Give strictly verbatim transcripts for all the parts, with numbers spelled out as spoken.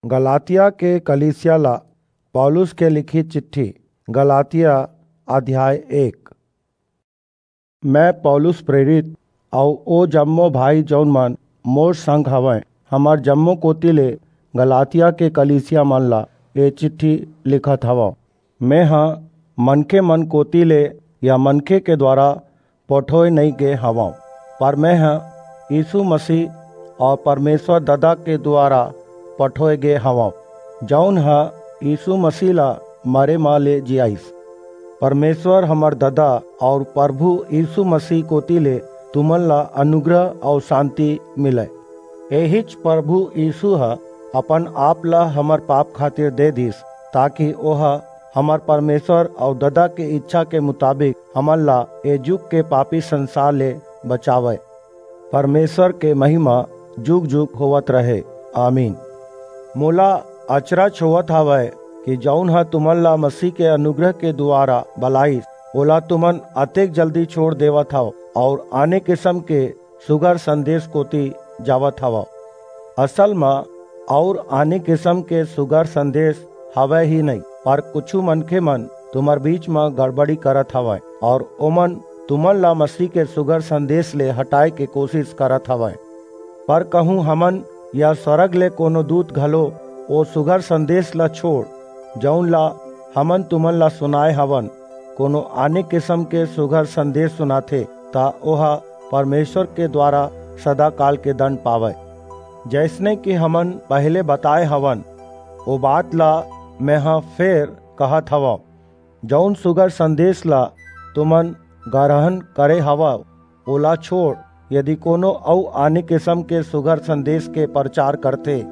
गलातिया के कलीसिया ला पौलुस के लिखित चिट्ठी। गलातिया अध्याय एक। मैं पौलुस प्रेरित अऊ ओ जम्मो भाई जऊन मन मोर संग हवंय, हमर जम्मो कोति ले गलातिया के कलीसिया मन ला ए चिट्ठी लिखत हवंव। मेंह मनखे मन कोति ले या मनखे के दुवारा पठोय नइं गे हवंव, पर मेंह यीसू मसीह अऊ परमेसर ददा के दुवारा पठोय गे हवंव, जऊन ह यीसू मसीह ला मरे म ले जियाईस। परमेसर हमर ददा अऊ परभू यीसू मसीह कोति ले तुमन ला अनुग्रह अऊ सांति मिलय। एहीच परभू यीसू ह अपन आप ला हमर पाप खातिर दे दीस, ताकि ओह हमर परमेसर अऊ ददा के ईछा के मुताबिक हमन ला ए जुग के पापी संसार ले बचावय। परमेसर के महिमा जुग-जुग होवत रहे। आमीन। मोला अचरज होवत हवय कि जऊन ह तुमन ला मसीह के अनुग्रह के दुवारा बलाईस, ओला तुमन अतेक जल्दी छोंड़ देवत हव अऊ आने किसम के सुघर संदेस कोति जावत हवव। असल म अऊ आने किसम के सुघर संदेस हवय ही नइं, पर कुछू मनखे मन तुम्हर बीच म गड़बड़ी करत हवंय अऊ ओमन तुमन ला मसीह के सुघर संदेस ले हटाय के कोसिस करत हवंय। पर कहूं हमन या स्वरग ले कोनो दूत घलो ओ सुघर संदेस ला छोंड़, जऊन ला हमन तुमन ला सुनाय हवन, कोनो आने किसम के सुघर संदेस सुनाथे, त ओह परमेसर के दुवारा सदाकाल के दंड पावय। जइसने कि हमन पहिली बताय हवन, ओ बात ला मेंह फेर कहत हवंव, जऊन सुघर संदेस ला तुमन गरहन करे हवव, ओला छोंड़, यदि कोनो अऊ आने किसम के सुघर संदेस के परचार करथे,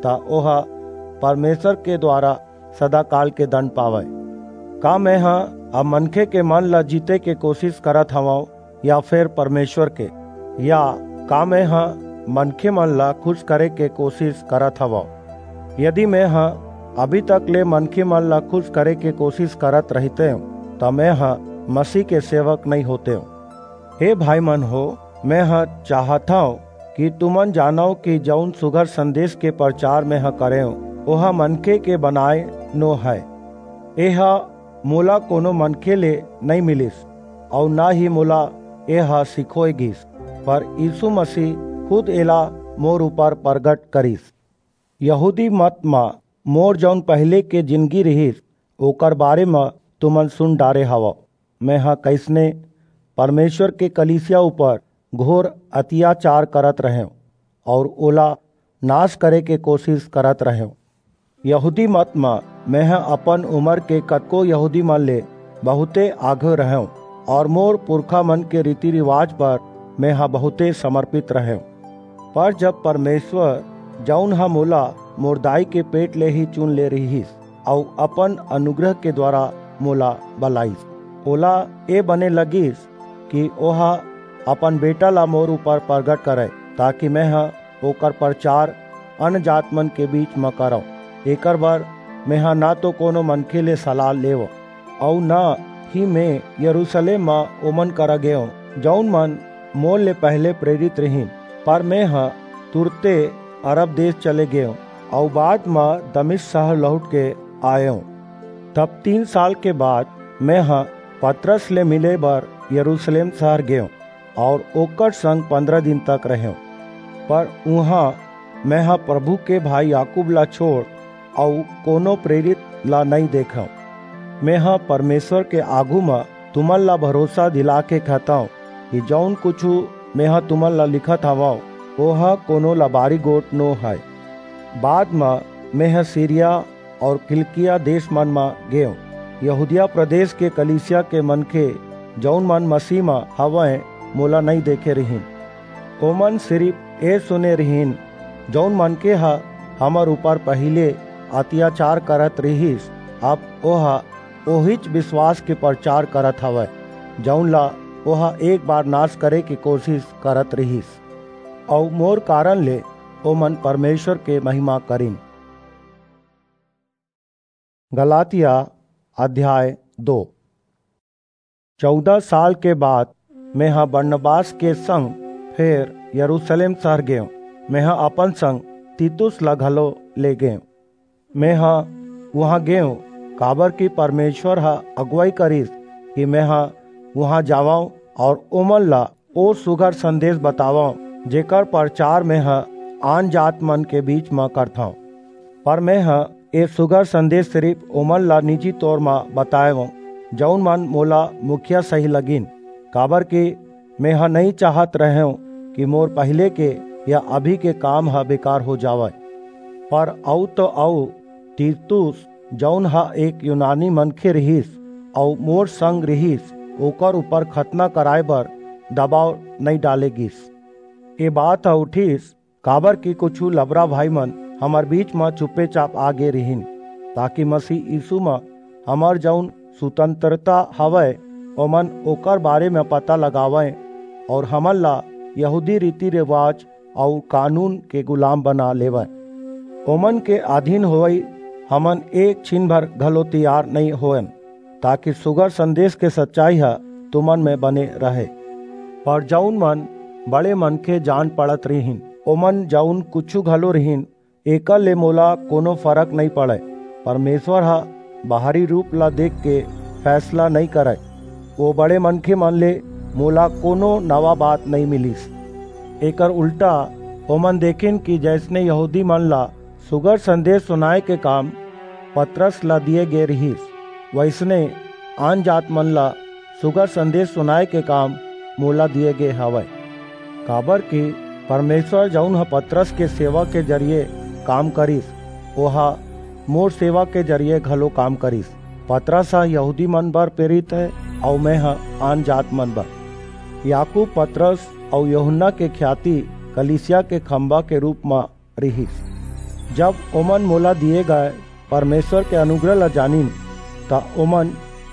त ओह परमेसर के दुवारा सदाकाल के दंड पावय। का मेंह अब मनखे के मन ला जीते के कोसिस करत हवंव, या फेर परमेसर के? या का मेंह मनखे मन ला खुस करे के कोसिस करत हवंव? यदि मेंह अभी तक ले मनखे मन ला खुस करे के कोसिस करत रहितेंव, त मेंह मसीह के सेवक नइं होतेंव। हे भाई मन हो, मेंह चाहथंव कि तुमन जानव कि जऊन सुघर संदेस के परचार मेंह करेंव, ओह मनखे के बनाय नो हय। एह मोला कोनो मनखे ले नइं मिलिस, अऊ न ही मोला एह सिखोय गीस, पर यीसू मसीह खुद एला मोर ऊपर परगट करिस। यहूदी मत म मोर जऊन पहिली के जिनगी रिहिस, ओकर बारे म तुमन सुन डारे हवव, मेंह कइसने परमेसर के कलीसिया ऊपर घोर अतियाचार करत रहेंव अऊ ओला नास करे के कोसिस करत रहेंव। यहूदी मत म मेंह अपन उमर के कतको यहूदी मन ले बहुंते आघू रहेंव अऊ मोर पुरखा मन के रीति-रिवाज बर मेंह बहुंते समरपित रहेंव। पर जब परमेसर, जऊन ह मोला मोर दाई के पेट ले ही चुन ले रिहिस अऊ अपन अनुग्रह के दुवारा मोला बलाईस, ओला ए बने लगिस कि ओह अपन बेटा ला मोर ऊपर परगट करय, ताकि मेंह ओकर परचार अनजात मन के बीच म करंव। एकर बर मेंह न तो कोनो मनखे ले सलाह लेंव, अऊ न ही में यरूसलेम म ओमन करा गेंव, जऊन मन मोर ले पहिली प्रेरित रिहिन, पर मेंह तुरते अरब देस चले गेंव अऊ बाद म दमिश्क सहर लहुट के आयेंव। तब तीन साल के बाद मेंह पतरस ले मिले बर यरूसलेम सहर गेंव अऊ ओकर संग पंदरा दिन तक रहेंव। पर उहां मेंह परभू के भाई याकूब ला छोंड़ अऊ कोनो प्रेरित ला नइं देखेंव। मेंह परमेसर के आघू म तुमन ला भरोसा दिला के कहथंव कि जऊन कुछू मेंह तुमन ला लिखत हवंव, ओह कोनो लबारी गोठ नो हय। बाद म मेंह सीरिया अऊ किलिकिया देस मन म गेंव। यहूदिया प्रदेस के कलीसिया के मनखे, जऊन मन मसीह म हवंय, मोला नइं देखे रिहिन। ओमन सिरिप ए सुने रिहिन, जऊन मनखे ह हमर ऊपर पहिली अतियाचार करत रिहिस, अब ओह ओहीच बिसवास के परचार करत हवय, जऊन ला ओह एक बार नास करे के कोसिस करत रिहिस। अऊ मोर कारन ले ओमन परमेसर के महिमा करिन। गलातिया अध्याय दो। चौदह साल के बाद मेंह बरनबास के संग फेर यरूसलेम सहर गेंव। मेंह अपन संग तीतुस ला घलो ले गेंव। मेंह उहां गेंव, काबर कि परमेसर ह अगुवई करिस कि मेंह उहां जावंव अऊ ओमन ला ओ सुघर संदेस बतावंव, जेकर परचार मेंह आनजातमन के बीच म करथंव। पर मेंह ए सुघर संदेस सिरिप ओमन ला निजी तौर म बतायेंव, जऊन मन मोला मुखिया सही लगिन, काबर कि मेंह नइं चाहत रहेंव कि मोर पहिले के या अभी के काम ह बेकार हो जावय। पर अऊ तो अऊ, तीतुस, जऊन ह एक यूनानी मनखे रिहिस अऊ मोर संग रिहिस, ओकर ऊपर खतना कराय बर दबाव नइं डाले गीस। ए बात ह उठिस, काबर कि कुछू लबरा भाईमन हमर बीच म चुपेचाप आ गे रिहिन, ताकि मसीह यीसू म हमर जऊन सुतंतरता हवय, ओमन ओकर बारे म पता लगावंय अऊ हमन ला यहूदी रीति-रिवाज अऊ कानून के गुलाम बना लेवंय। ओमन के अधीन होवई हमन एक छिन भर घलो तियार नइं होवन, ताकि सुघर संदेस के सच्चाई ह तुमन म बने रहय। पर जऊन मन बड़े मनखे जान पड़त रिहिन, ओमन जऊन कुछू घलो रिहिन, एकर ले मोला कोनो फरक नइं पड़य। परमेसर ह बाहरी रूप ला देखके फैसला नइं करय। ओ बड़े मनखेमन ले मोला कोनो नवा बात नइं मिलिस। एकर उल्टा ओमन देखिन कि जइसने यहूदीमन ला सुघर संदेस सुनाय के काम पतरस ला दिये गे रिहिस, वइसने आनजातमन ला सुघर संदेस सुनाय के काम मोला दिये गे हवय। काबर कि परमेसर, जऊन ह पतरस के सेवा के जरिये काम करिस, ओह मोर सेवा के जरिये घलो काम करिस। पतरस ह यहूदीमन बर प्रेरित हे अऊ मेंह आनजातमन बर। याकूब, पतरस अऊ यूहन्ना के ख्याति कलीसिया के खंभा के रूप म रिहिस। जब ओमन मोला दिये गय परमेसर के अनुग्रह ला जानिन, त ओमन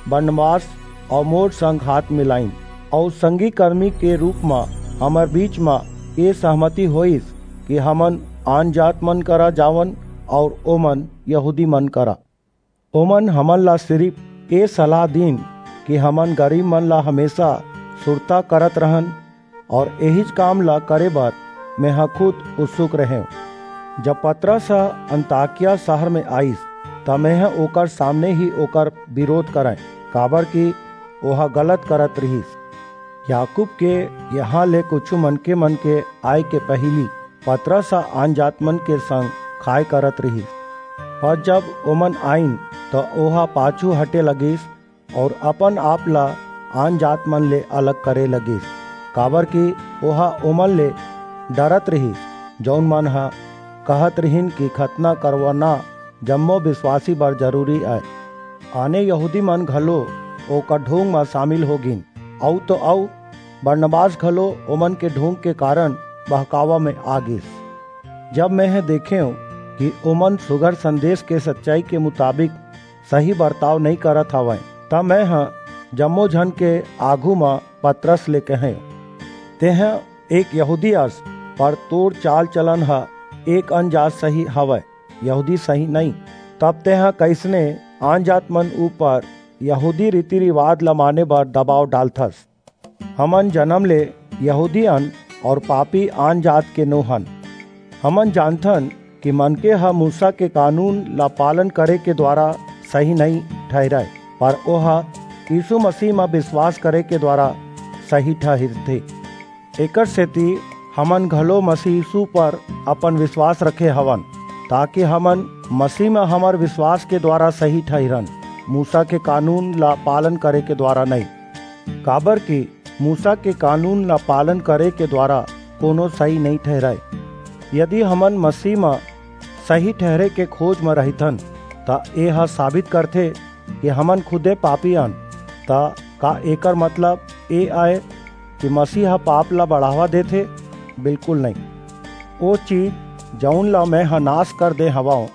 बरनबास अऊ मोर संग हाथ मिलाईन अऊ संगी करमी के रूप म हमर बीच म ए सहमति होईस कि हमन आनजातमन करा जावन अऊ ओमन यहूदीमन करा। ओमन हमन ला सिरिप ए सलाह दीन कि हमन गरीबमन ला हमेसा सुरता करत रहन अऊ एहीच काम ला करे बर मेंह खुद उत्सुक रहेंव। जब पतरस ह अंताकिया सहर म आईस, त मेंह ओकर सामने ही ओकर बिरोध करंय, काबर कि ओह गलत करत रिहिस। याकूब के इहां ले कुछू मनखेमन के आय के पहिली पतरस ह आनजातमन के संग खाय करत रिहिस, पर जब ओमन आईन, त ओह पाछू हटे लगिस अऊ अपन-आप ला आनजातमन ले अलग करे लगिस, काबर कि ओह ओमन ले डरत रिहिस, जऊन मन ह कहत रिहिन कि खतना करवाना जम्मो बिसवासी बर जरूरी अय। आने यहूदीमन घलो ओकर ढोंग म सामिल हो गीन। अऊ तो अऊ, बरनबास घलो ओमन के ढोंग के कारन बहकावा म आ गीस। जब मेंह देखेंव कि ओमन सुघर संदेस के सच्चाई के मुताबिक सही बरताव नइं करत हवंय, त मेंह जम्मो झन के आघू म पतरस ले कहेंव, तेंह एक यहूदी अस, पर तोर चाल-चलन ह एक अनजात सही हवय, यहूदी सही नइं। तब तेंह कइसने आनजातमन ऊपर यहूदी रीति-रिवाज ला माने बर दबाव डालथस? हमन जनम ले यहूदी अन अऊ पापी आनजात के नो हन। हमन जानथन कि मनखे ह मूसा के कानून ला पालन करे के दुवारा सही नइं ठहिरय, पर ओह यीसू मसीह म बिसवास करे के दुवारा सही ठहिरथे। एकरसेति हमन घलो मसीह यीसू ऊपर अपन बिसवास रखे हवन, ताकि हमन मसीह म हमर बिसवास के दुवारा सही ठहिरन, मूसा के कानून ला पालन करे के दुवारा नइं। काबरकि मूसा के कानून ला पालन करे के दुवारा कोनो सही नइं ठहिरय। यदि हमन मसीह म सही ठहिरे के खोज म रहिथन, त एह साबित करथे कि हमन खुदे पापी अन। त का एकर मतलब ए अय कि मसीह ह पाप ला बढ़ावा देथे? बिल्कुल नइं। ओ चीज, जऊन ला मेंह नास कर दे हवंव,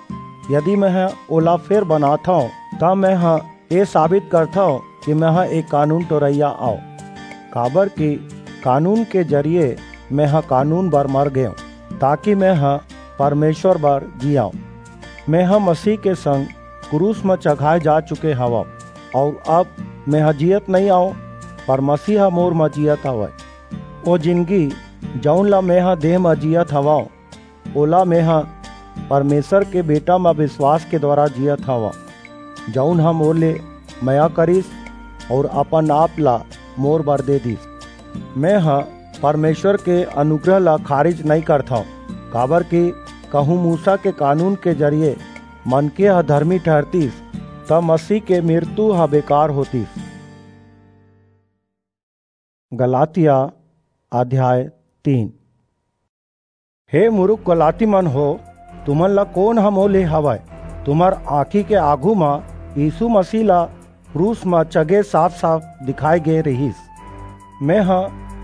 यदि मेंह ओला फेर बनाथंव, त मेंह ए साबित करथंव कि मेंह एक कानून टोरइया अंव। काबरकि कानून के जरिये मेंह कानून बर मर गेंव, ताकि मेंह परमेसर बर जीयंव। मेंह मसीह के संग क्रूस म चघाय जा चुके हवंव, अऊ अब मेंह जीयत नइं अंव, पर मसीह ह मोर म जीयत हवय। ओ जिनगी, जऊन ला मेंह देह म जीयत हवंव, ओला मेंह परमेश्वर के बेटा म विश्वास के द्वारा जियत हवं, जऊन ह मोर ले मया करिस अऊ अपन आप ला मोर बर दे दिस। मेंह परमेश्वर के अनुग्रह ला खारिज नइं करथंव, काबरकि कहूं मूसा के कानून के जरिये मनखे ह धरमी ठहरतिस, त मसीह के मिरतू ह बेकार होतिस। गलातिया अध्याय तीन। हे मुरुख गलातीमन हो, तुमन ला कोन ह मोले हवय? तुम्हर आंखी के आघू म यीसू मसीह ला क्रूस म चघे साफ-साफ दिखाय गे रिहिस। मेंह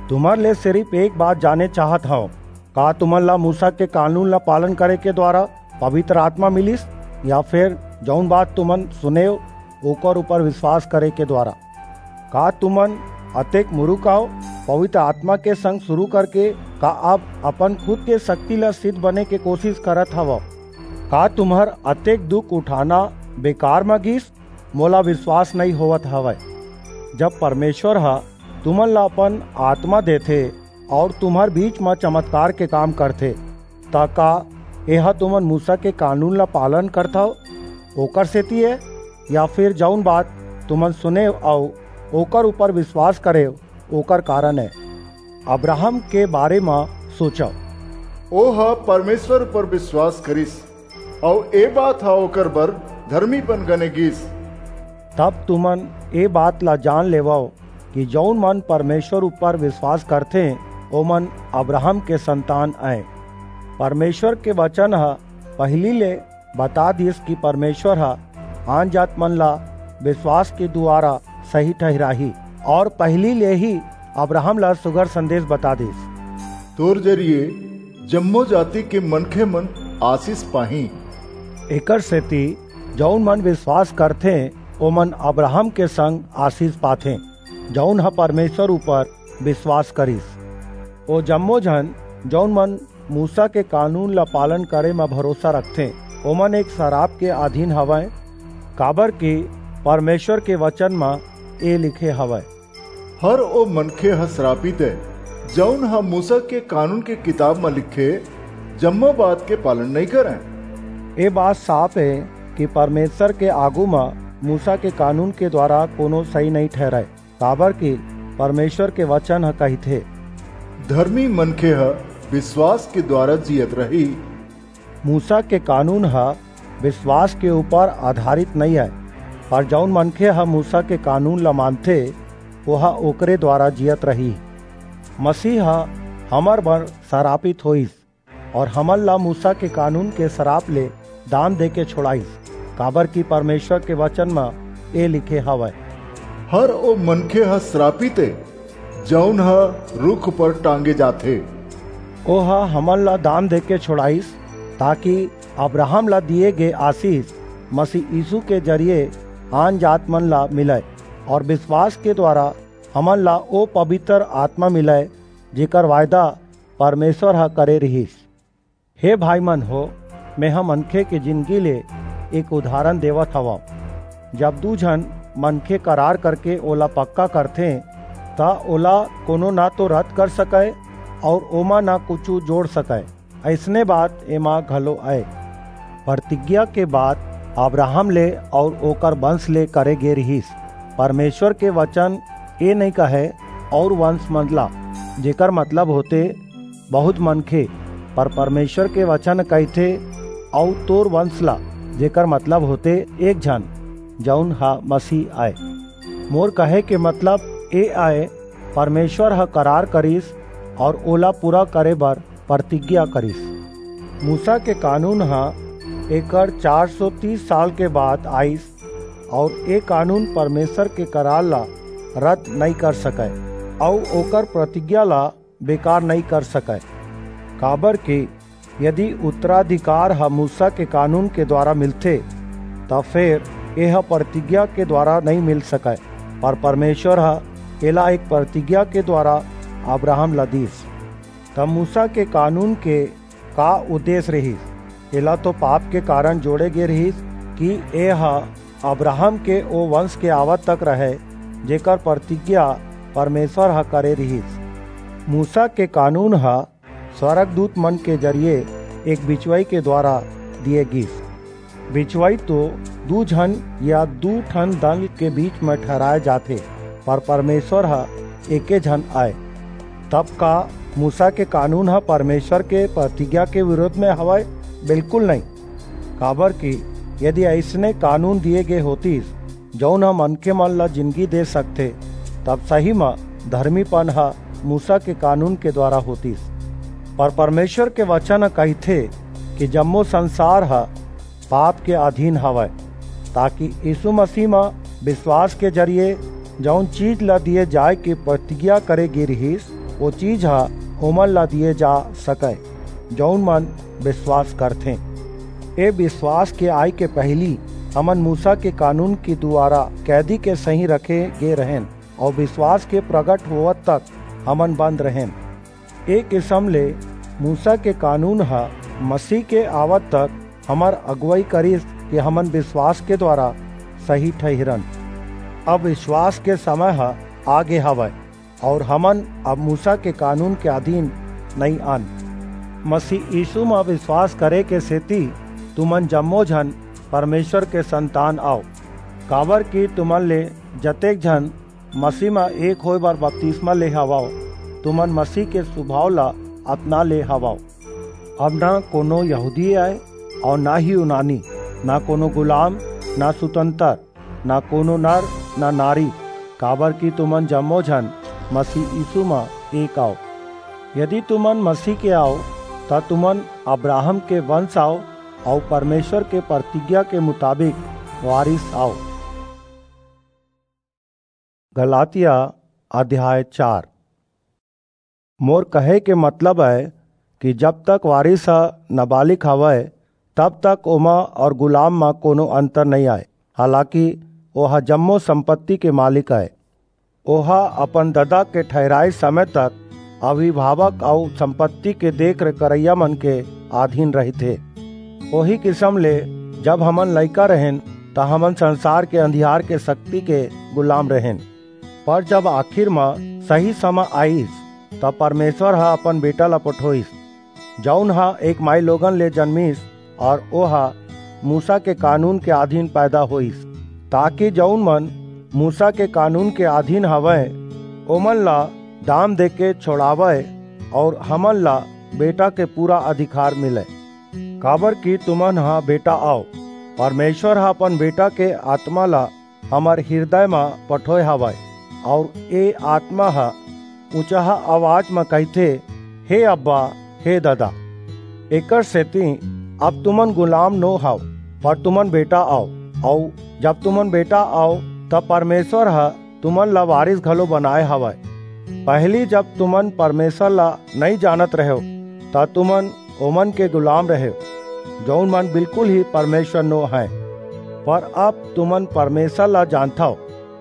तुम्हर ले सिरिप एक बात जाने चाहत हंव, का तुमन ला मूसा के कानून ला पालन करे के द्वारा पवित्र आत्मा मिलिस, या फेर जऊन बात तुमन सुनेव, ओकर ऊपर विश्वास करे के द्वारा? का तुमन अतेक मुरुख अव? पवित्र आत्मा के संग सुरू करके का अब अपन खुद के सक्ति ला सिद्ध बने के कोसिस करत हवव? का तुम्हर अतेक दुख उठाना बेकार म गीस? मोला विश्वास नइं होवत हवय। जब परमेश्वर ह तुमन ला अपन आत्मा देथे अऊ तुम्हर बीच म चमत्कार के काम करथे, त का एह तुमन मूसा के कानून ला पालन करथव, ओकर सेति ए? या फेर जऊन बात तुमन सुनेव अऊ ओकर ऊपर विश्वास करेव, ओकर कारन ए? अब्राहम के बारे म सोचव। ओह परमेश्वर ऊपर विश्वास करिस, अऊ ए बात ह ओकर बर धरमीपन गने गीस। तब तुमन ए बात ला जान लेवव कि जऊन मन परमेश्वर ऊपर विश्वास करथें, ओमन अब्राहम के संतान अंय। परमेश्वर के वचन ह पहिली ले बता दिस कि परमेश्वर ह आनजात मन ला विश्वास के दुवारा सही ठहिराही, अऊ पहिली ले ही अब्राहम ला सुघर संदेश बता दिस। तोर जरिये जम्मो जाति के मनखे मन आशीष पाहीं। एकर सेति जऊन मन विश्वास करथें, ओमन अब्राहम के संग आशीष पाथें, जऊन ह परमेश्वर ऊपर विश्वास करिस। ओ जम्मो झन, जऊन मन मूसा के कानून ला पालन करे म भरोसा रखथें, ओमन एक सराप के अधीन हवंय, काबरकि परमेश्वर के वचन म ए लिखे हवय। हर ओ मनखे ह सरापित ए, जऊन ह मूसा के कानून के किताब म लिखे जम्मो बात के पालन नइं करय। ए बात साफ ए कि परमेश्वर के आघू म मूसा के कानून के दुवारा कोनो सही नइं ठहिरय, काबरकि परमेश्वर के वचन ह कहिथे, धरमी मनखे ह विश्वास के दुवारा जियत रही। मूसा के कानून ह विश्वास के ऊपर आधारित नइं अय, पर जऊन मनखे ह मूसा के कानून ला मानथे, ओह ओकरे दुवारा जियत रही। मसीह ह हमर बर सरापित होईस अऊ हमन ला मूसा के कानून के सराप ले दाम देके छोड़ाईस, काबरकि परमेश्वर के वचन म ए लिखे हवय, हर ओ मनखे ह सरापित ए, जऊन ह रूख ऊपर टांगे जाथे। ओह हमन ला दाम देके छोड़ाईस, ताकि अब्राहम ला दिये गे आशीष मसीह यीसू के जरिये आनजात मन ला मिलय, अऊ विश्वास के दुवारा हमन ला ओ पबितर आतमा मिलय, जेकर वायदा परमेश्वर ह करे रिहिस। हे भाईमन हो, मेंह मनखे के जिनगी ले एक उदाहरन देवत हवंव। जब दू झन मनखे करार करके ओला पक्का करथें, त ओला कोनो न तो रद्द कर सकय अऊ ओमा न कुछू जोड़ सकय। अइसने बात एमा घलो अय। परतिज्ञा के बात अब्राहम ले अऊ ओकर बंस ले करे गे रिहिस। परमेश्वर के वचन ए नइं कहय, "अऊ वंस मन ला," जेकर मतलब होथे बहुत मनखे, पर परमेश्वर के वचन कहिथे, "अऊ तोर वंस ला," जेकर मतलब होथे एक झन, जऊन ह मसीह अय। मोर कहे के मतलब ए अय, परमेश्वर ह करार करिस अऊ ओला पूरा करे बर परतिज्ञा करिस। मूसा के कानून ह एकर चार सौ तीस साल के बाद आइस, अऊ ए कानून परमेश्वर के करार ला रद्द नइं कर सकय, अऊ ओकर प्रतिज्ञा ला बेकार नइं कर सकय, काबरकि यदि उत्तराधिकार ह मूसा के कानून के द्वारा मिलथे, त फेर एह प्रतिज्ञा के द्वारा नइं मिल सकय, पर परमेश्वर ह एला एक प्रतिज्ञा के द्वारा अब्राहम ला दीस। त मूसा के कानून के का उद्देश्य रिहिस? एला तो पाप के कारण जोड़े गे रिहिस कि ए ह अब्राहम के ओ वंश के आवत तक रहय, जेकर प्रतिज्ञा परमेश्वर ह करे रिहिस। मूसा के कानून ह स्वर्गदूत मन के जरिये एक बिचवई के द्वारा दिए गीस। बिचवई तो दू झन या दू ठन दल के बीच म ठहराए जाथे, पर परमेश्वर ह एके झन आय। तब का मूसा के कानून ह परमेश्वर के प्रतिज्ञा के विरोध म हवय? बिल्कुल नहीं। काबर कि यदि अइसने कानून दिए गे होतिस, जऊन ह मनखे मन ला जिनगी दे सकथे, तब सही म धर्मीपन ह मूसा के कानून के द्वारा होतिस। पर परमेश्वर के वचन ह कहिथे कि जम्मो संसार ह पाप के अधीन हवय, ताकि यीशु मसीह म विश्वास के जरिए जऊन चीज ला दिए जाय के प्रतिज्ञा करे गे रिहिस, वो चीज ह ओमन ला दिए जा सकय, जऊन मन विश्वास करथें। ए विश्वास के आय के पहिली हमन मूसा के कानून के दुवारा कैदी के सहीं रखे गे रहेन अऊ विश्वास के प्रगट होवत तक हमन बंद रहेन। ए किसम ले मूसा के कानून ह मसीह के आवत तक हमर अगुवई करिस कि हमन विश्वास के द्वारा सही ठहिरन। अब विश्वास के समय ह आगे हवय। अऊ हमन अब मूसा के कानून के अधीन नइं अन। मसीह यीशु म विश्वास करे के सेती तुमन जम्मो झन परमेश्वर के संतान अव, काबर कि तुमन ले जतेक झन मसीह म एक होय बर बपतिस्मा ले हवव, तुमन मसीह के सुभाव ला अपना ले हवव। अब ना कोनो यहूदी अय अऊ ना ही यूनानी, ना कोनो गुलाम, ना सुतंतर, ना कोनो नर, ना नारी, काबर कि तुमन जम्मो झन मसीह यीशु म एक अव। यदि तुमन मसीह के अव, त तुमन अब्राहम के वंश अव अऊ परमेश्वर के प्रतिज्ञा के मुताबिक वारिस अव। गलातिया अध्याय चार। मोर कहे के मतलब अय कि जब तक वारिस ह नाबालिग हवय, तब तक ओमा अऊ गुलाम म कोनो अंतर नइं आय। हालाकि ओह जम्मो संपत्ति के मालिक अय। ओह अपन ददा के ठहिराए समय तक अभिभावक अऊ संपत्ति के देख-रेख करइया मन के अधीन रहिथे। ओही किसम ले जब हमन लइका रहेन, त हमन संसार के अंधियार के शक्ति के गुलाम रहेन। पर जब आखिर म सही समा आइस, त परमेश्वर ह अपन बेटा ला पठोइस, जऊन ह एक माईलोगन ले जनमिस, अऊ ओह मूसा के कानून के अधीन पैदा होइस, ताकि जऊन मन मूसा के कानून के अधीन हवंय, ओमन ला दाम देके छोड़ावय अऊ हमन ला बेटा के पूरा अधिकार मिलय। काबर कि तुमन ह बेटा अव, परमेश्वर ह अपन बेटा के आत्मा ला हमर हिरदय म पठोय हवय, अऊ ए आत्मा ह ऊंचहा आवाज म कहिथे, "हे अब्बा, हे ददा।" एकर सेति अब तुमन गुलाम नो हव, पर तुमन बेटा अव, अऊ जब तुमन बेटा अव, त परमेश्वर ह तुमन ला वारिस घलो बनाय हवय। पहिली जब तुमन परमेश्वर ला नइं जानत रहेव, त तुमन ओमन के गुलाम रहेव, जऊन मन बिल्कुल ही परमेश्वर नो हंय। पर अब तुमन परमेश्वर ला जानथव,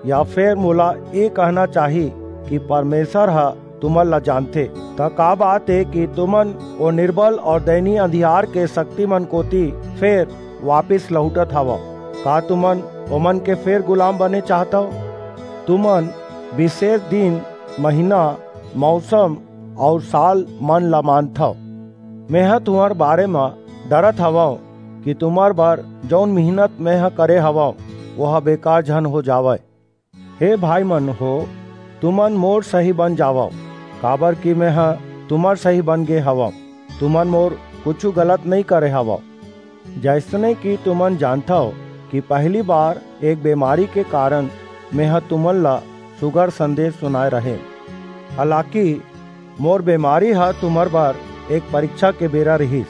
या फेर मोला ए कहना चाही कि परमेश्वर ह तुमन ला जानथे, त का बात ए कि तुमन ओ निर्बल अऊ दयनीय अंधियार के शक्तिमन कोति फेर वापिस लहुटत हवव? का तुमन ओमन के फेर गुलाम बने चाहथव? तुमन बिसेस दिन, महीना, मऊसम अऊ साल मन ला मानथव। मेंह तुम्हर बारे म डरत हवंव कि तुम्हर बर जऊन मिहनत मेंह करे हवंव, ओह बेकार झन हो जावय। हे भाईमन हो, तुमन मोर सही बन जावव, काबर कि मेंह तुम्हर सही बन गे हवंव। तुमन मोर कुछू गलत नइं करे हवव। जइसने कि तुमन जानथव कि पहिली बार एक बेमारी के कारन मेंह तुमन ला सुघर संदेस सुनाय रहेंव। हालाकि मोर बेमारी ह तुम्हर बर एक परीक्षा के बेरा रिहिस।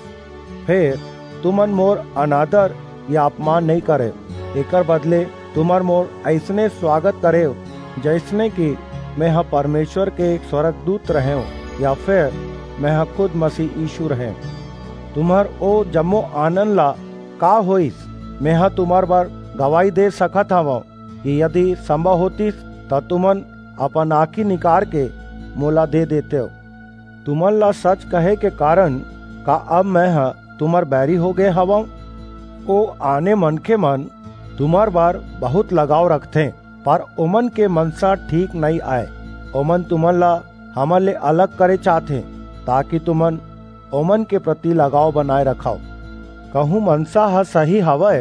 फेर तुमन मोर अनादर या अपमान नइं करेव। एकर बदले तुमन मोर अइसने स्वागत करेव, जइसने कि मेंह परमेश्वर के एक स्वर्गदूत रहेंव, या फेर मेंह खुद मसीह यीशु रहेंव। तुम्हर ओ जम्मो आनंद ला का होइस, मेंह तुम्हर बर गवाही दे सकत हवंव कि यदि संभव होतिस, त तुमन अपन आंखी निकार के मोला दे देतेव। तुमन ला सच कहे के कारन का अब मेंह तुम्हर बैरी हो गे हवंव? ओ आने मनखेमन तुम्हर बर बहुंत लगाव रखथें, पर ओमन के मनसा ठीक नइं अय। ओमन तुमन ला हमर ले अलग करे चाहथें, ताकि तुमन ओमन के प्रति लगाव बनाय रखव। कहूँ मनसा ह सही हवय,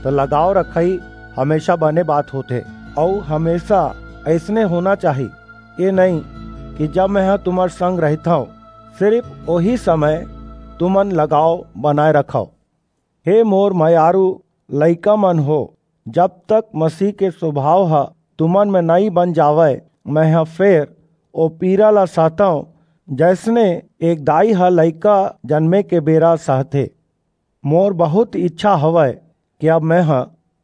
त लगाव रखई हमेशा बने बात होथे, अऊ हमेशा अइसने होना चाही। ये नइं कि जब मेंह तुम्हर संग रहिथंव, सिरिप ओही समय तुमन लगाव बनाय रखव। हे मोर मयारू लइका मन हो, जब तक मसीह के सुभाव ह तुमन में नइं बन जावय, मेंह फेर ओ पीरा ला सहतंव, जइसने एक दाई ह लइका जनमे के बेरा सहथे। मोर बहुंत इच्छा हवय कि अब मेंह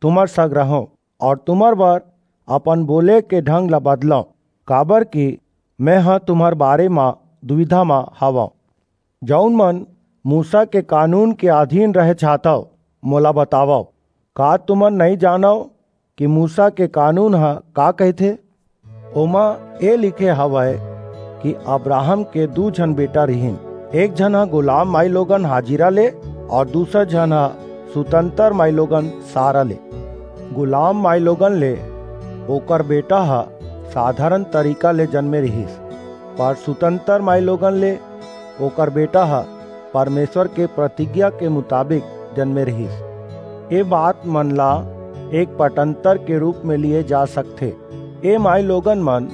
तुम्हर संग रहंव अऊ तुम्हर बर अपन बोले के ढंग ला बदलंव, काबरकि मेंह तुम्हर बारे म दुबिधा म हवंव। जऊन मन मूसा के कानून के अधीन रहे चाहथव, मोला बतावव, का तुमन नइं जानव कि मूसा के कानून ह का कहिथे? ओमा ए लिखे हवय कि अब्राहम के दू झन बेटा रिहिन, एक झन ह गुलाम माईलोगन हाजिरा ले, अऊ दूसर झन ह सुतंतर माईलोगन सारा ले। गुलाम माईलोगन ले ओकर बेटा ह साधारण तरीका ले जनमे रिहिस, पर सुतंतर माईलोगन ले ओकर बेटा ह परमेसर के प्रतिज्ञा के मुताबिक जनमे रिहिस। ए बात मन ला एक पटंतर के रूप में लिये जा सकथे। ए माईलोगन मन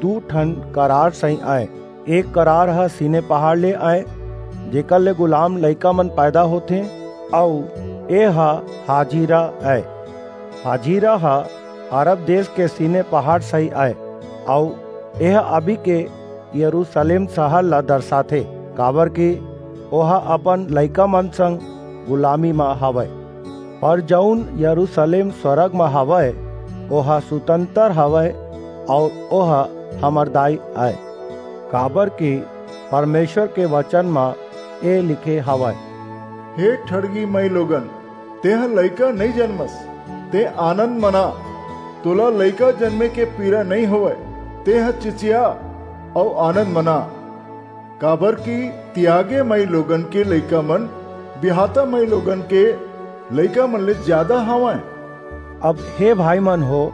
दू ठन करार सहीं अंय। एक करार ह सीनै पहाड़ ले अंय, जेकर ले गुलाम लइका मन पैदा होथें, अऊ ए ह हाजिरा अंय। हाजिरा ह अरब देस के सीनै पहाड़ सहीं अंय, अऊ ए ह अभी के यरूसलेम सहर ला दरसाथे, काबरकि ओह अपन लइका मन संग गुलामी म हवय। पर जऊन यरूसलेम स्वरग म हवय, ओह सुतंतर हवय, अऊ ओह हमर दाई अय, काबरकि परमेसर के बचन म ए लिखे हवय, हे ठड़गी माईलोगन, तेंह लइका नइं जनमस, तें आनंद मना, तोला लइका जनमे के पीरा नइं होवय, तेंह चिचिया अऊ आनंद मना, काबरकि तियागे माईलोगन के लइका मन बियाहता माईलोगन के लइका मन ले जादा हवंय। अब हे भाई मन हो,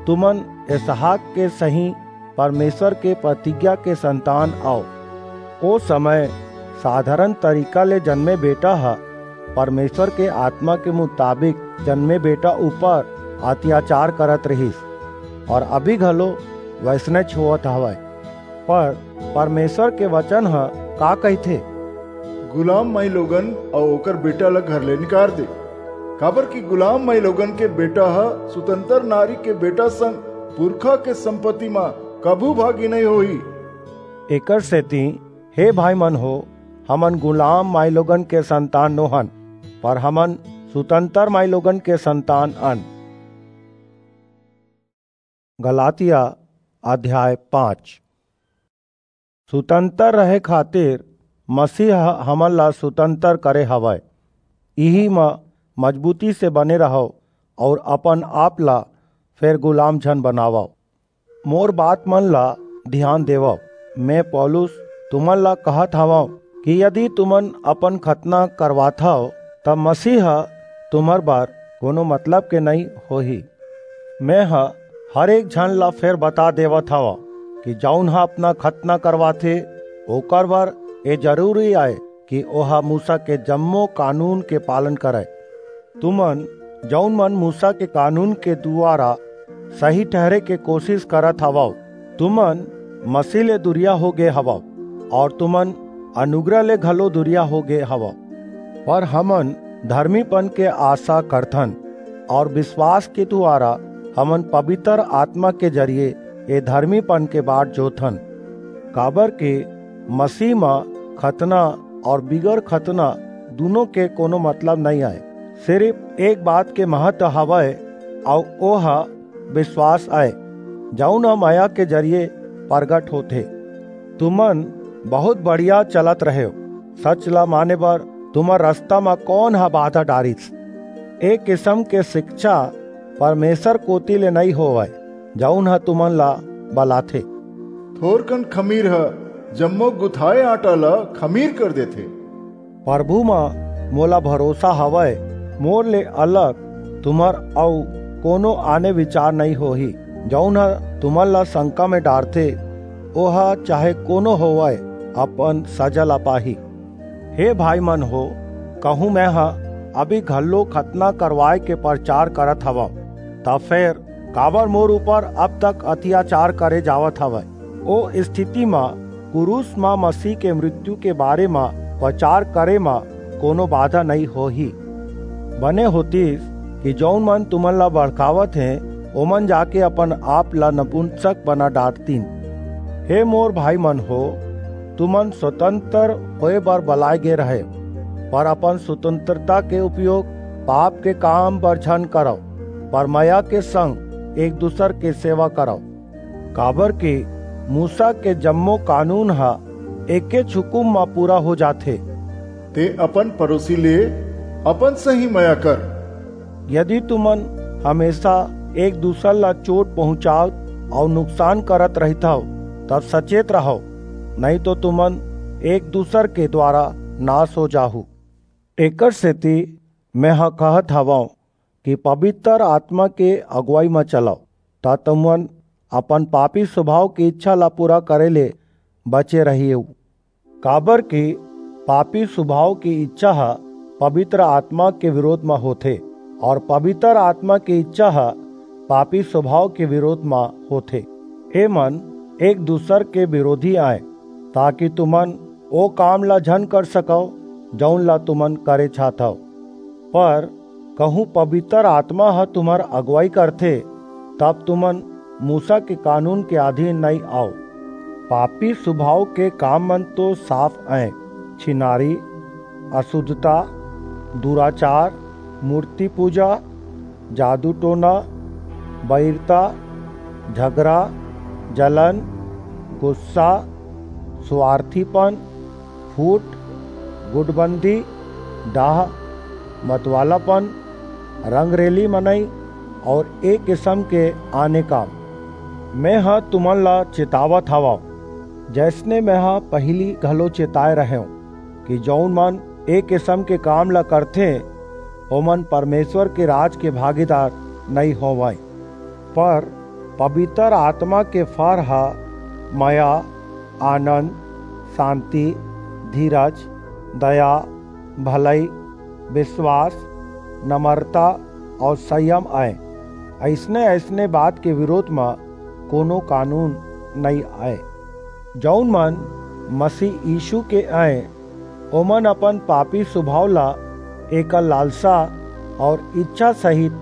तुमन इसहाक के सहीं परमेसर के प्रतिज्ञा के संतान अव। ओ समय साधारण तरीका ले जनमे बेटा ह परमेसर के आतमा के मुताबिक जनमे बेटा ऊपर अतियाचार करत रिहिस, अऊ अभी घलो वइसनेच होवत हवय। पर परमेसर के बचन ह का कहिथे? गुलाम माईलोगन अऊ ओकर बेटा ला घर ले निकार दे, काबरकि गुलाम माईलोगन के बेटा ह सुतंतर नारी के बेटा संग पुरखा के संपत्ति म कभू भागी नइं होही। एकरसेति हे भाई मन हो, हमन गुलाम माईलोगन के संतान नोहन, पर हमन सुतंतर माईलोगन के संतान अन। गलातिया अध्याय पाँच। सुतंतर रहे खातिर मसीह ह हमन ला सुतंतर करे हवय। इही म मजबूती से बने रहव अऊ अपन आप ला फेर गुलाम झन बनावव। मोर बात मन ला धियान देवव। मैं पौलुस तुमन ला कहत हवंव कि यदि तुमन अपन खतना करवाथव, त मसीह ह तुम्हर बर कोनो मतलब के नइं होही। मैं ह हर एक झन ला फेर बता देवत हवंव कि जऊन ह अपना खतना करवाथे, ओकर बर ए जरूरी अय कि ओह मूसा के जम्मो कानून के पालन करय। तुमन, जऊन मन मूसा के कानून के दुवारा सही ठहरे के कोसिस करत हवव, तुमन मसीह ले दुरिहा हो गे हवव, अऊ तुमन अनुग्रह ले घलो दुरिहा हो गे हवव। पर हमन धरमीपन के आसा करथन, अऊ बिसवास के दुवारा हमन पबितर आतमा के जरिये ए धरमीपन के बाट जोथन। काबरकि मसीह म खतना अऊ बिगर खतना दूनों के कोनो मतलब नइं अय। सिरिप एक बात के महत्व हवय, अऊ ओह बिसवास अय, जऊन ह मया के जरिये परगट होथे। तुमन बहुंत बढ़िया चलत रहेव। सच ला माने बर तुम्हर रसता म कोन ह बाधा डारिस? ए किसम के सिकछा परमेसर कोति ले नइं होवय, जऊन ह तुमन ला बलाथे। थोरकन खमीर ह जम्मो गुथाय आटा ला खमीर कर देथे। परभू म मोला भरोसा हवय, मोर ले अलग तुम्हर अऊ कोनो आने बिचार नइं होही। जऊन ह तुमन ला संका म डारथे, ओह चाहे कोनो होवय, अपन सजा ला पाही। हे भाई मन हो, कहूं मैं ह अभी घल्लो खतना करवाए के परचार करत हवंव, त फेर काबर मोर ऊपर अब तक अतियाचार करे जावत हवय? ओ स्थिति म कुरूस म मसीह के मृत्यु के बारे म परचार करे म कोनो बाधा नइ होही। बने होतिस कि जऊन मन तुमन ला भड़कावत हें, ओमन जाके अपन आप ला नपुंसक बना डारतिन। हे मोर भाई मन हो, तुमन स्वतंत्र होए बर बलाए गे रहे, पर अपन स्वतंत्रता के उपयोग पाप के काम बर झन करव, पर मया के संग एक दूसर के सेवा करव। काबर कि मूसा के जम्मो कानून ह एकेच हुकुम म पूरा हो जाथे। ते अपन पड़ोसी ले अपन सही मया कर। यदि तुमन हमेशा एक दूसर ला चोट पहुंचावत अऊ नुकसान करत रहिथव, तब सचेत रहव, नहीं तो तुमन एक दूसर के द्वारा नाश हो जाहू। एकर सेती मेंह कहत हवंव कि पवित्र आत्मा के अगुवाई म चलव, त तुमन अपन पापी स्वभाव के इच्छा ला पूरा करे ले बचे रहिएव। काबर कि पापी स्वभाव के इच्छा ह पवित्र आत्मा के विरोध म होथे, और पवित्र आत्मा के इच्छा ह पापी स्वभाव के विरोध म होथे। ए मन एक दूसर के विरोधी आय, ताकि तुमन ओ काम ला झन कर सकव, जऊन ला तुमन करे चाहथव। पर कहूं पवित्र आत्मा ह तुम्हर अगुवाई करथे, तब तुमन मूसा के कानून के अधीन नइं आव। पापी स्वभाव के काम मन तो साफ अंय, छिनारी, अशुद्धता, दुराचार, मूर्ति पूजा, जादू टोना, बैरता, झगरा, जलन, गुस्सा, स्वार्थीपन, फूट, गुटबंदी, डाह, मतवालापन, रंगरेली मनई और ए किसम के आने काम। मेंह तुमन ला चेतावत हवंव, जइसने मेंह पहिली घलो चेताय रहेंव कि जऊन मन ए किसम के काम ला करथें, ओमन परमेश्वर के राज के भागीदार नइं होवंय। पर पवित्र आत्मा के फर ह मया, आनंद, शांति, धीरज, दया, भलई, विश्वास, नम्रता और संयम अंय। अइसने-अइसने बात के विरोध म कोनो कानून नइं अंय। जऊन मन मसीह यीशु के अंय, ओमन अपन पापी स्वभाव ला एकर लालसा और इच्छा सहित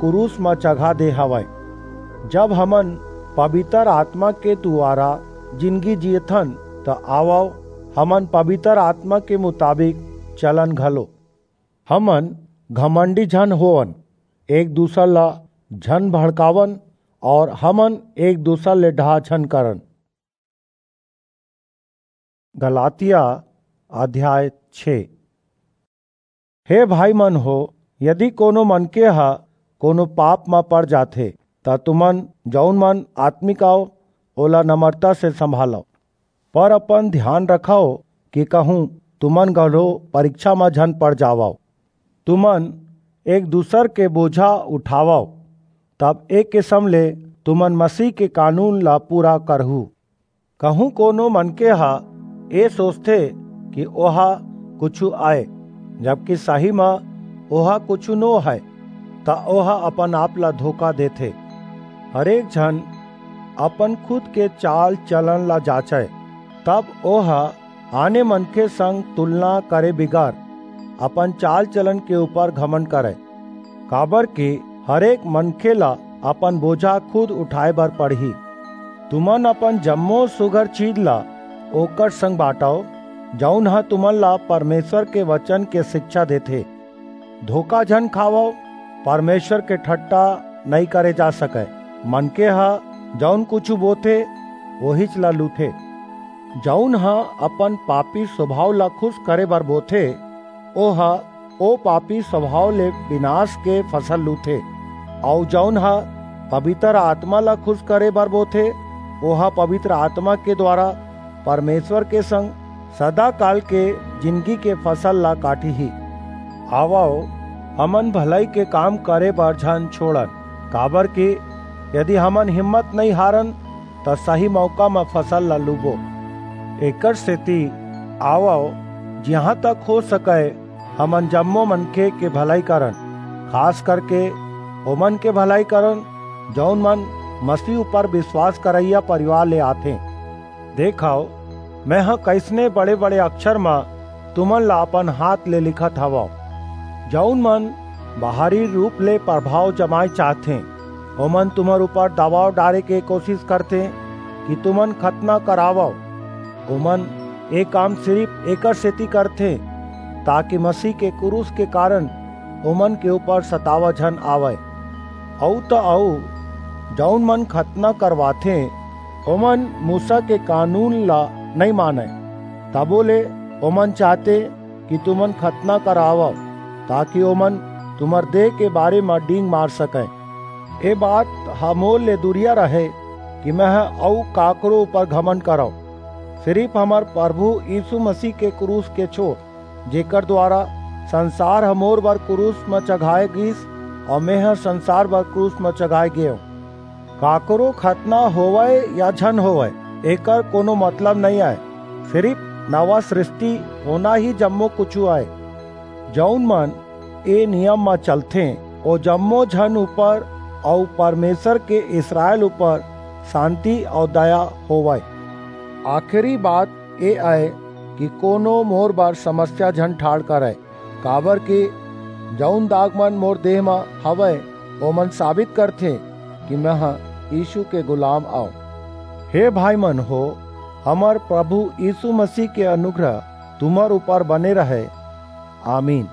क्रूस म चघा दे हवंय। जब हमन पवित्र आत्मा के दुवारा जिनगी जियथन, त आवव, हमन पवित्र आत्मा के मुताबिक चलन घलो। हमन घमंडी झन होवन, एक दूसर ला झन भड़कावन और हमन एक दूसर ले डाह झन करन। गलातिया अध्याय छे। हे भाई मन हो, यदि कोनो मनके ह कोनो पाप म पड़ जाथे, त तुमन जऊन मन आत्मिक अव, ओला नम्रता से संभालव। पर अपन ध्यान रखव कि कहूं तुमन घलो परीक्षा म झन पड़ जावव। तुमन एक दूसर के बोझा उठावव, तब एक किसम ले तुमन मसीह के कानून ला पूरा करहू। कहूं कोनो मनके ह ए सोचथे कि ओहा कुछु अय, जबकि सही म ओहा कुछु नो हय, त ओहा अपन आप ला धोखा देथे। हरेक झन अपन खुद के चाल चलन ला जांचय, तब ओहा आने मनखे संग तुलना करे बिगर अपन चाल चलन के ऊपर घमंड करय। काबर कि हरेक मनखे ला अपन बोझा खुद उठाए बर पड़ही। तुमन अपन जम्मो सुघर चीज ला ओकर संग बांटव, जऊन ह तुमन ला परमेश्वर के वचन के शिक्षा देथे। धोखा झन खावव, परमेश्वर के ठट्टा नइं करे जा सकय। मनखे ह जऊन कुछु बोथे, ओहीच ला लूथे। जऊन ह अपन पापी स्वभाव ला खुश करे बर बोथे, ओह ओ पापी स्वभाव ले विनाश के फसल लूथे, अऊ जऊन ह पवित्र आत्मा ला खुश करे बर बोथे, ओह पवित्र आत्मा के द्वारा परमेश्वर के संग सदा काल के जिनगी के फसल ला काटही। आवव, हमन भलई के काम करे बर झन छोड़न, काबर कि यदि हमन हिम्मत नइं हारन, त सही मौका म फसल ला लूबो। एकर सेती आवव, जिहां तक हो सकय, हमन जम्मो मनखे के भलाई करन, खास करके ओमन के भलाई करन, जऊन मन मसीह ऊपर विश्वास करइया परिवार ले आथें। देखव, मेंह कइसने बड़े-बड़े अक्षर म तुमन ला अपन हाथ ले लिखत हवंव। जऊन मन बाहरी रूप ले प्रभाव जमाय चाहथें, ओमन तुम्हर ऊपर दबाव डारे के कोशिश करथें कि तुमन खतना करावव। ओमन ए काम सिरिफ एकर सेती करथें, ताकि मसीह के क्रूस के कारण ओमन के ऊपर सतावा झन आवय। अऊ त अऊ, जऊन मन खतना करवाथें, ओमन मूसा के कानून ला नइं मानंय, तभो ले ओमन चाहथें कि तुमन खतना करावव, ताकि ओमन तुम्हर देह के बारे म डींग मार सकंय। ए बात ह मोर ले दूरिहा रहय कि मेंह अऊ काकरो ऊपर घमंड करंव, सिरिफ हमर प्रभु यीसू मसीह के क्रूस के छोंड़, जेकर दुवारा संसार ह मोर बर क्रूस म चघाय गीस अऊ मेंह संसार बर क्रूस म चघाय गेंव। काकरो खतना होवय या झन होवय, एकर कोनो मतलब नइं अय। सिरिफ नवा सृष्टि होना ही जम्मो कुछू अय। जऊन मन ए नियम म चलथें, ओ जम्मो झन ऊपर अऊ परमेसर के इसरायल ऊपर सांति अऊ दया होवय। आखिरी बात ए अय कि कोनो मोर बर समस्या झन ठाढ़ करय, काबरकि जऊन दागमन मोर देह म हवय, ओमन साबित करथें कि मेंह यीसू के गुलाम अंव। हे भाईमन हो, हमर प्रभु यीसू मसीह के अनुग्रह तुम्हर ऊपर बने रहय। आमीन।